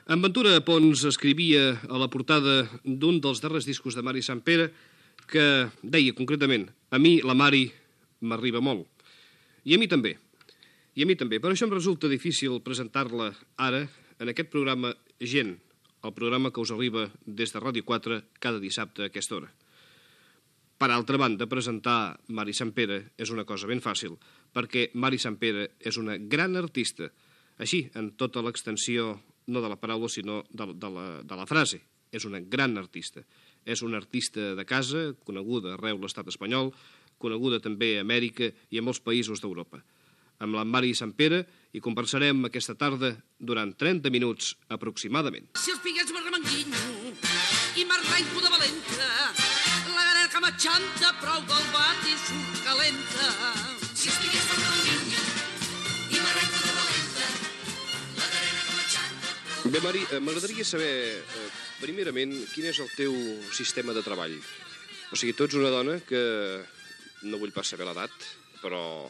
En Ventura Pons escrivia a la portada d'un dels darrers discos de Mari Sampere que deia concretament: a mi la Mari m'arriba molt. I a mi també. Per això em resulta difícil presentar-la ara en aquest programa Gent, el programa que us arriba des de Ràdio 4 cada dissabte a aquesta hora. Per altra banda, presentar Mari Sampere és una cosa ben fàcil, perquè Mari Sampere és una gran artista, així, en tota l'extensió, no de la paraula, sinó de la frase. És una gran artista. És una artista de casa, coneguda arreu l'estat espanyol, coneguda també a Amèrica i a molts països d'Europa. Amb la Mari Sampere hi conversarem aquesta tarda durant 30 minuts aproximadament. Si els piguets m'arremanguinyo i m'arrenco de valenta, la gana que m'aixanta prou del bat i surt calenta. Si els piguets m'arremanguinyo i m'arrenco de valenta, la gana que m'aixanta... Bé, Mari, m'agradaria saber, primerament, quin és el teu sistema de treball. O sigui, tu ets una dona que, no vull pas saber l'edat, però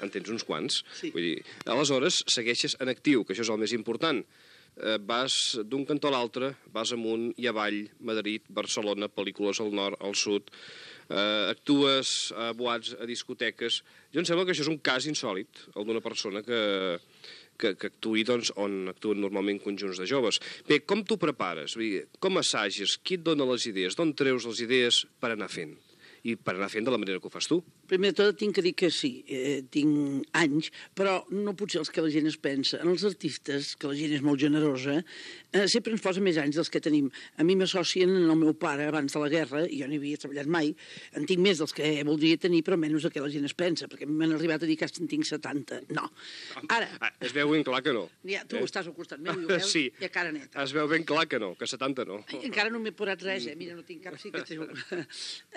en tens uns quants. Sí. Vull dir, aleshores segueixes en actiu, que això és el més important. Vas d'un cantó a l'altre, vas amunt i avall, Madrid, Barcelona, pel·lícules al nord, al sud, actues a boats, a discoteques. Jo em sembla que això és un cas insòlit, el d'una persona que actuï doncs, on actuen normalment conjunts de joves. Bé, com t'ho prepares? Vull dir, com assages? Qui et dona les idees? D'on treus les idees per anar fent? I per anar fent de la manera que ho fas tu. Primer de tot tinc que dir que sí, tinc anys, però no potser els que la gent es pensa. En els artistes, que la gent és molt generosa, sempre ens posa més anys dels que tenim. A mi m'associen en el meu pare abans de la guerra, i jo no hi havia treballat mai, en tinc més dels que voldria tenir, però menys del que la gent es pensa, perquè m'han arribat a dir que en tinc 70. No. Ara... Es veu ben clar que no. Ja, tu estàs al costat meu i ho veus, sí. I a cara neta. Es veu ben clar que no, que 70 no. Encara no m'he posat res, Mira, no tinc cap cicatriu.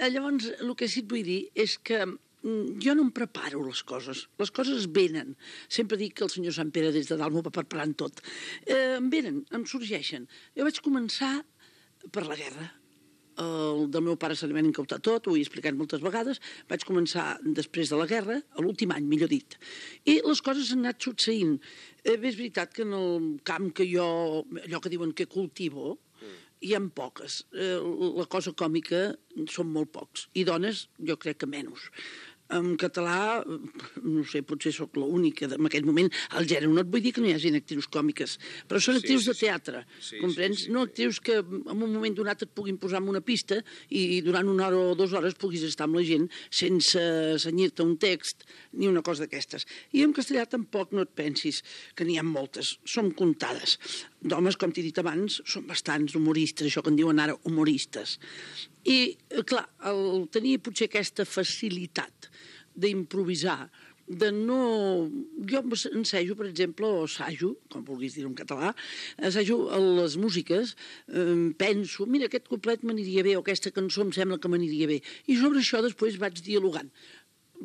Llavors, el que sí et vull dir és que jo no em preparo les coses venen. Sempre dic que el senyor Sant Pere des de dalt m'ho va preparant tot. Em venen, em sorgeixen. Jo vaig començar per la guerra. El del meu pare se li van incautar tot, ho he explicat moltes vegades. Vaig començar després de la guerra, a l'últim any, millor dit. I les coses han anat succeint. Bé, és veritat que en el camp que jo, allò que diuen que cultivo, hi ha poques. La cosa còmica són molt pocs. I dones, jo crec que menys. En català, no sé, potser sóc l'única en aquest moment al gènere. No et vull dir que no hi hagi actrius còmiques, però són actrius de teatre, comprens? No actrius que en un moment donat et puguin posar en una pista i durant 1 hora o 2 hores puguis estar amb la gent sense senyir-te un text ni una cosa d'aquestes. I en castellà tampoc no et pensis que n'hi ha moltes, són comptades. D'homes, com t'he dit abans, són bastants humoristes, això que en diuen ara humoristes. I, clar, el tenir potser aquesta facilitat d'improvisar, de no... Jo ensejo, per exemple, o assajo, com vulguis dir en català, assajo les músiques, penso, mira, aquest couplet m'aniria bé, o aquesta cançó em sembla que m'aniria bé. I sobre això després vaig dialogant.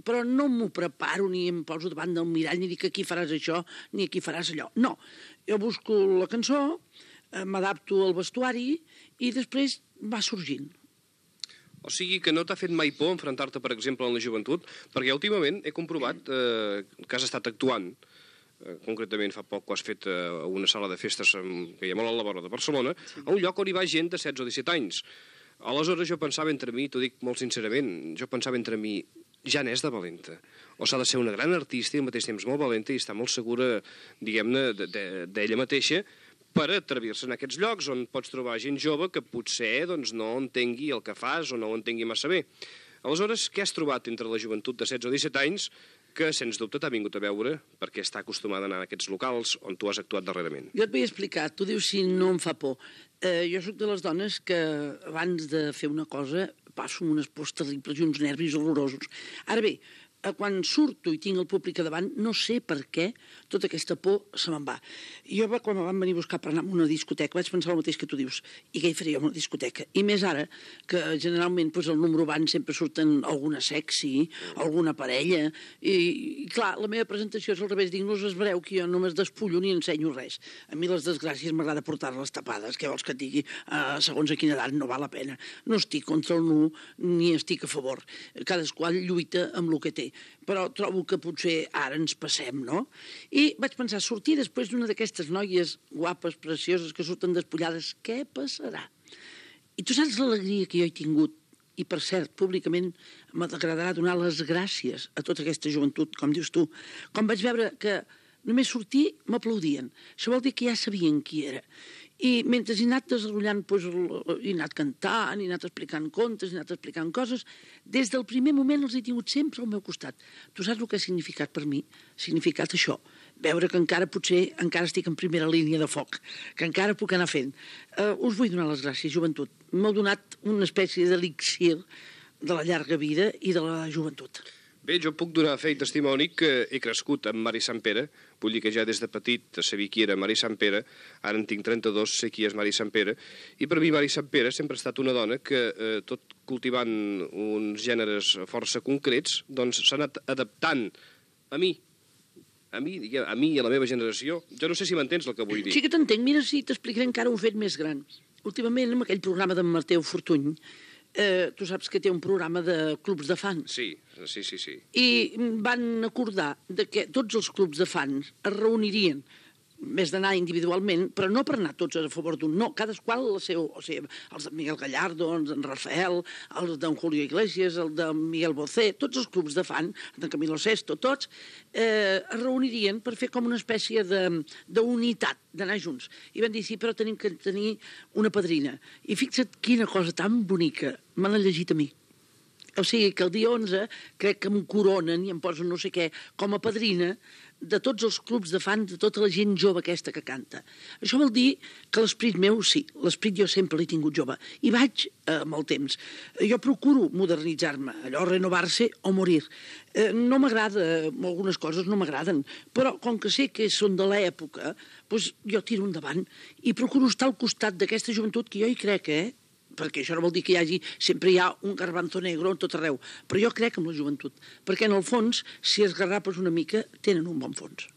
Però no m'ho preparo ni em poso davant del mirall ni dic que aquí faràs això ni aquí faràs allò. No, jo busco la cançó, m'adapto al vestuari i després va sorgint. O sigui que no t'ha fet mai por enfrontar-te, per exemple, en la joventut? Perquè últimament he comprovat que has estat actuant, concretament fa poc que has fet a una sala de festes que hi ha molt a la vora de Barcelona, a un lloc on hi va gent de 16 o 17 anys. Aleshores jo pensava entre mi, t'ho dic molt sincerament, jo pensava entre mi, ja n'és de valenta. O s'ha de ser una gran artista i al mateix temps molt valenta i estar molt segura, diguem-ne, d'ella mateixa, per atrevir-se en aquests llocs on pots trobar gent jove que potser doncs, no entengui el que fas o no ho entengui massa bé. Aleshores, què has trobat entre la joventut de 16 o 17 anys que, sens dubte, t'ha vingut a veure perquè està acostumada a anar a aquests locals on tu has actuat darrerament? Jo et vull explicar, tu dius si no em fa por. Jo sóc de les dones que abans de fer una cosa passo amb unes pors terribles i uns nervis horrorosos. Ara bé, quan surto i tinc el públic a davant, no sé per què tota aquesta por se me'n va. Jo, quan em van venir a buscar per anar a una discoteca, vaig pensar el mateix que tu dius, i què hi faria a una discoteca? I més ara, que generalment el número van sempre surten alguna sexy, alguna parella, i clar, la meva presentació és al revés, dic, no us esvereu que jo no me'n despullo ni ensenyo res. A mi les desgràcies m'agrada portar-les tapades, què vols que et digui? Segons a quina edat no val la pena. No estic contra el nu, ni estic a favor. Cadascú lluita amb el que té. però trobo que potser ara ens passem, no? I vaig pensar, sortir després d'una d'aquestes noies guapes, precioses, que surten despullades, què passarà? I tu saps l'alegria que jo he tingut, i per cert, públicament m'agradarà donar les gràcies a tota aquesta joventut, com dius tu. Com vaig veure que només sortir m'aplaudien. Això vol dir que ja sabien qui era. I mentre he anat desenvolupant, he anat cantant, he anat explicant contes, he anat explicant coses, des del primer moment els he tingut sempre al meu costat. Tu saps el que ha significat per mi? Ha significat això, veure que potser encara estic en primera línia de foc, que encara puc anar fent. Us vull donar les gràcies, joventut. M'heu donat una espècie d'elixir de la llarga vida i de la joventut. Bé, jo puc donar fe i testimoni que he crescut amb Mari Sant Pere, vull dir que ja des de petit sabia qui era Mari Sant Pere, ara en tinc 32, sé qui és Mari Sant Pere, i per mi Mari Sant Pere sempre ha estat una dona que, tot cultivant uns gèneres força concrets, doncs s'ha anat adaptant a mi i a la meva generació. Jo no sé si m'entens el que vull dir. Sí que t'entenc, mira si t'explicaré encara un fet més gran. Últimament, amb aquell programa d'en Mateu Fortuny, tu saps que té un programa de clubs de fans. Sí. I van acordar que tots els clubs de fans es reunirien, més d'anar individualment, però no per anar tots a favor d'un, no, cadasqual el seu, o sigui, els de Miguel Gallardo, els d'en Rafael, els d'en Julio Iglesias, el de Miguel Bosé, tots els clubs de fan, d'en Camilo Sesto, tots, es reunirien per fer com una espècie d'unitat, d'anar junts. I van dir, sí, però tenim que tenir una padrina. I fixa't quina cosa tan bonica me l'han llegit a mi. O sigui que el dia 11 crec que em coronen i em posen no sé què com a padrina de tots els clubs de fans, de tota la gent jove aquesta que canta. Això vol dir que l'esperit meu, sí, l'esperit jo sempre l'he tingut jove. I vaig amb el temps. Jo procuro modernitzar-me, allò renovar-se o morir. No m'agrada, algunes coses no m'agraden, però com que sé que són de l'època, doncs jo tiro endavant i procuro estar al costat d'aquesta joventut que jo hi crec, perquè això no vol dir que sempre hi ha un garbanzo negro en tot arreu, però jo crec en la joventut, perquè en el fons, si es garrapes una mica, tenen un bon fons.